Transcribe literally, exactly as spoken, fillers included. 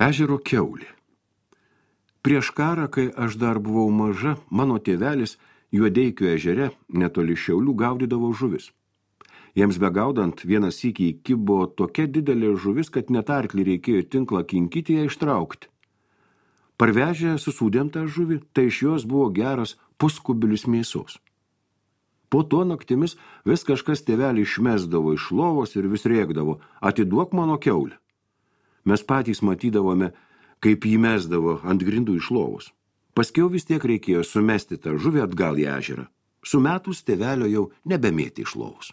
Ežero kiaulė. Prieš karą, kai aš dar buvau maža, mano tėvelis Juodeikio ežere netoli Šiaulių gaudydavo žuvis. Jiems begaudant vieną sykį įkibo tokia didelė žuvis, kad net arklį reikėjo tinklą kinkyti ją ištraukti. Parvežę susūdėm tą žuvį, tai iš jos buvo geras puskubilius mėsos. Po to naktimis vis kažkas tėvelį išmesdavo iš lovos ir vis rėkdavo, atiduok mano kiaulę. Mes patys matydavome, kaip jį mesdavo ant grindų iš lovos. Paskiau vis tiek reikėjo sumesti tą žuvį atgal į ežerą. Sumetus tėvelio jau nebemėti iš lovos.